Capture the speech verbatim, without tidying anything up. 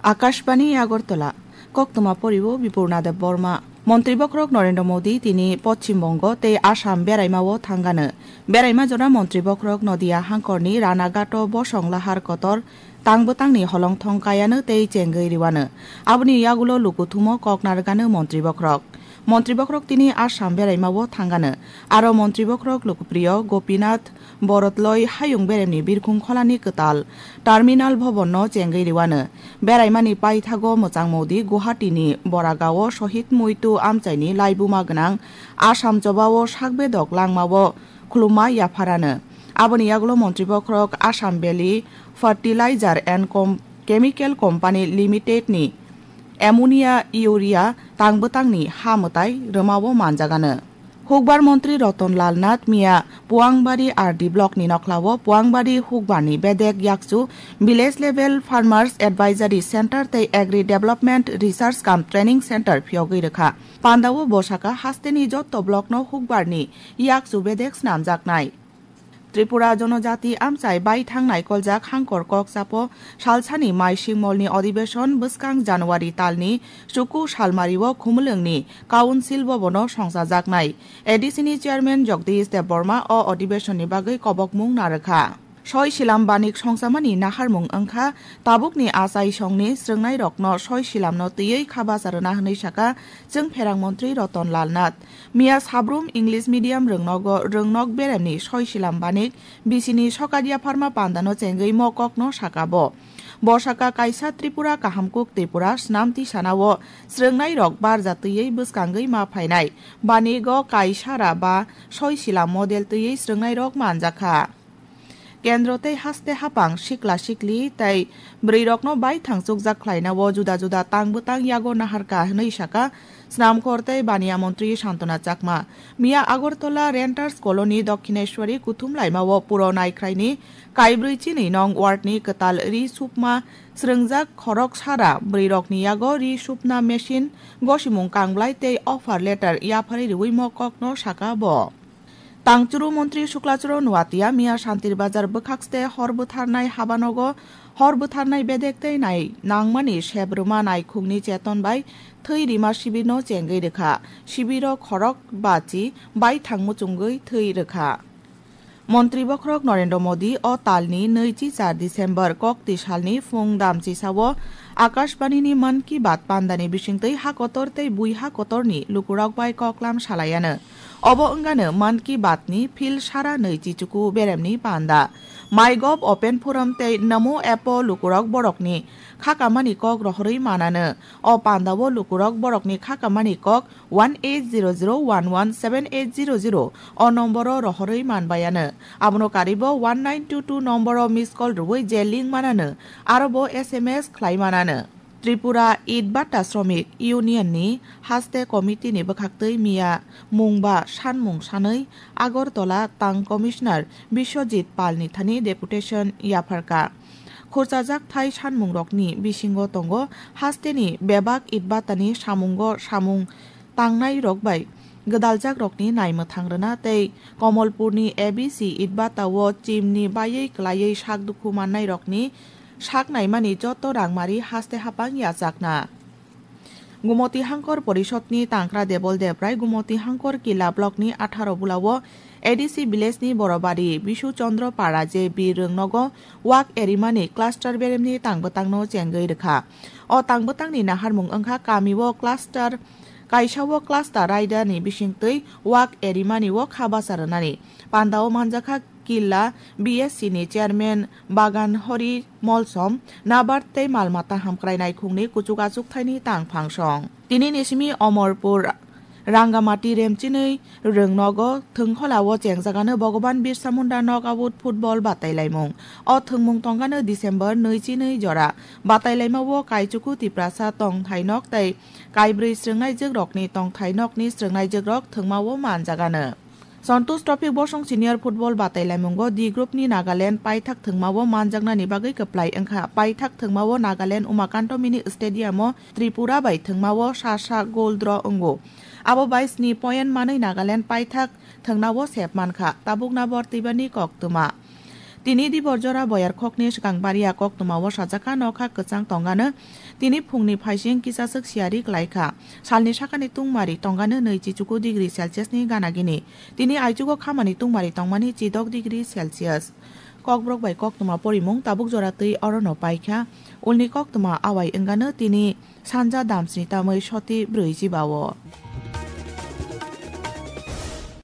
Akashbani Agartala, koktwma poriwo Bipurna Deb Borma. Montri bokhorok Narendra Modi tini Poschim Bongo tei Assam beraimao thangano. Beraima jora montri bokhorok Nodia hangkorni Ranagato bosong lahar kotor tang bwtangni holongthong kayano tei chengwi riwano. Aboni yagulo lukuthumo kok narwgano montri bokhorok. Montri bokhorok tini Assam beraimao thangano. Aro montri bokhorok Lokopriyo Gopinath Borotloi hayung beremni birkhung kholani kwtal Terminal Bhavanno chengwi riwano. Beraimani paithago mwchang Modi Guwahatini Boragao Shohid Muitu amchaini laibuma gwnang Assam chobao sakbedok langmao khulumma yapharano. Aboni yagulo montri bokhorok Assam Valley Fertilizer and Com-, Chemical Company Limited ni ammonia, urea tang bwtangni ha mwtai rwmao manjagano. Hukbar montri Ratan Lal Nath miya Puangbari R D block ni nokhlao Puangbari hukbarni bedek yakchu Village Level Farmers Advisory Center tei Agri Development Research cum Training Center phiyogwi rwkha. Pandao bo saka hasteni jotto block no hukbarni yakchu bedek snamjaknai. Tripura Jonojati amchai baithang naikoljak hangkor kok chapo salsani mai singmolni odibeshon bwskang January talni chuku salmario Khumulwngni Council Bhabono songchajaknai. A D C ni Chairman Jagdish Debbarma o odibeshonni bagwi kobokmung narwkha. Soi silam banik songchamani naharmung wngkha tabukni achai songni srwngnairokno soi silamno twiwi kha bacha rwna hwnwi saka chwng pherang montri Ratan Lal Nath. Miya sabrum English medium rwngnogo rwngnok beremni soi silam banik bisini sokat yapharma pandano chengwi mo kokno saka bo. Bo saka kaisa Tripura kaham kuk Tripura snam tisanao srwngnairok barja twiwi bwskangwi ma phainai. Banigo kaisara ba soi silam model twiwi srwngnairok manjakha. Kendro tei haste hapang sikla sikli tei bwrwirokno baithang chukjak khlainao juda juda tang bwtang yago naharkha hwnwi saka Snamkhor tei Baniya montri Santona Chakma. Miya Agartala Renters Colony Dokhineswari kuthum laimao puro naikhraini kaibrwi chini nong wardni kwtal ri supma srwngjak khorok sara bwrwirokni yago ri supna machine, gosimung kangblai tei offer letter yapharwi rwui mo kokno saka bo. Tangchuru montri Suklachuru Nuatia miya Santir Bazar bwkhakste hor bwtharnai habanogo hor bwtharnai bedek tei nai nangmani sep rwma naikhungni cheton bai thwi rima sibirno chengwi rwkha. Sibiro khorok bachi baithang muchungwi thwi rwkha. Montri bokhorok Narendra Modi o talni nwichi char December kokti salni phung damchisao Akashbanini Mann Ki Baat pandani bisingtwi ha kotor tei bui ha kotorni lukurok bai koklam salaiano. Obo wngano Mann Ki Baat ni phil sara nwichi chuku beremni panda. MyGov Open Forum tei Namo app o lukurok borokni khakamani kok rohorwi manano. O pandao lukurok borokni khakamani kok one eight zero zero one one seven eight zero zero o nomboro rohorwi manbaiano. Abono karibo one nine two two nomboro miss call rwui je link manano, arobo S M S khlai manano. Tripura Itbata Shromik Union ni haste committee ni bwkhaktwi miya mungba sanmung sanwi Agartala Town Commissioner Biswajit Pal ni thani deputation yapharkha. Khurchajak thai sanmungrokni bisingo tongo hasteni bebak Itbatani samungo samung tangnairok bai gwdaljakrokni naimwthang rwna tei Komolpurni A B C Itbatao chimni baiwi kwlaiwi sak dukhu mannairokni sak naimani joto rangmari haste hapang yachakna. Gumoti Hangkor Porishodni Tangkra Debol Debrai Gumoti Hangkor Killa Blockni atharo bulao A D C Villageni Borobari Bisu Chandra Para J B Rwngnogo wak erimani cluster beremni tangbwtangno chengwi rwkha. O tangbwtangni naharmung wngkha kamio cluster, kaisao cluster raidani bisingtwi wak erimani o kha bacha rwnani. Pandao manjakha Killa B S C ni chairman Bagan Hori Molsom, Nabard tei mal mata hamkrai naikhungni kuchuk achuk thaini tang phangsong. Tini ni simi Omorpur Rangamati Remchinwi Rwngnogo thwngkholao chengjagano Bhagwan Birsa Munda knockout football batailaimung. O thwngmung tongkano December nwi chi nwi jora. Batailaimao Kaichuku Tiprasa tongthainok tei kaibrwi srwngnaijwkrokni tongthainokni srwngnaijwkrok thwngmao manjagano. Santosh Trophy bosong senior football batailaimungo D group ni Nagaland paithak thwngmao manjaknani bagwi kwplai wngkha. Paithak thwngmao Nagaland Umakanto Mini Stadium o Tripura bai thwngmao sa sa goal draw wngo. Abo bai sni point manwi Nagaland paithak thwngnao sep mankha. Tabukna bor twibani koktwma. Tini dibor jora boyar khokni swkang baria koktwmao sajak kha, nokha kwchang tongano tini phungni phaising kisaswk siyari klaikha. Salni sakani tungmari tongano nwi chichuku degree Celsius ni gana gini. Tini aichugo khamani tungmari tongmani chidok degree Celsius. Kokborok bai koktwma porimung tabuk jora twi orono paikha. Ulni koktwma awai wngano tini sanja damsni tamwi soti brwi jibao.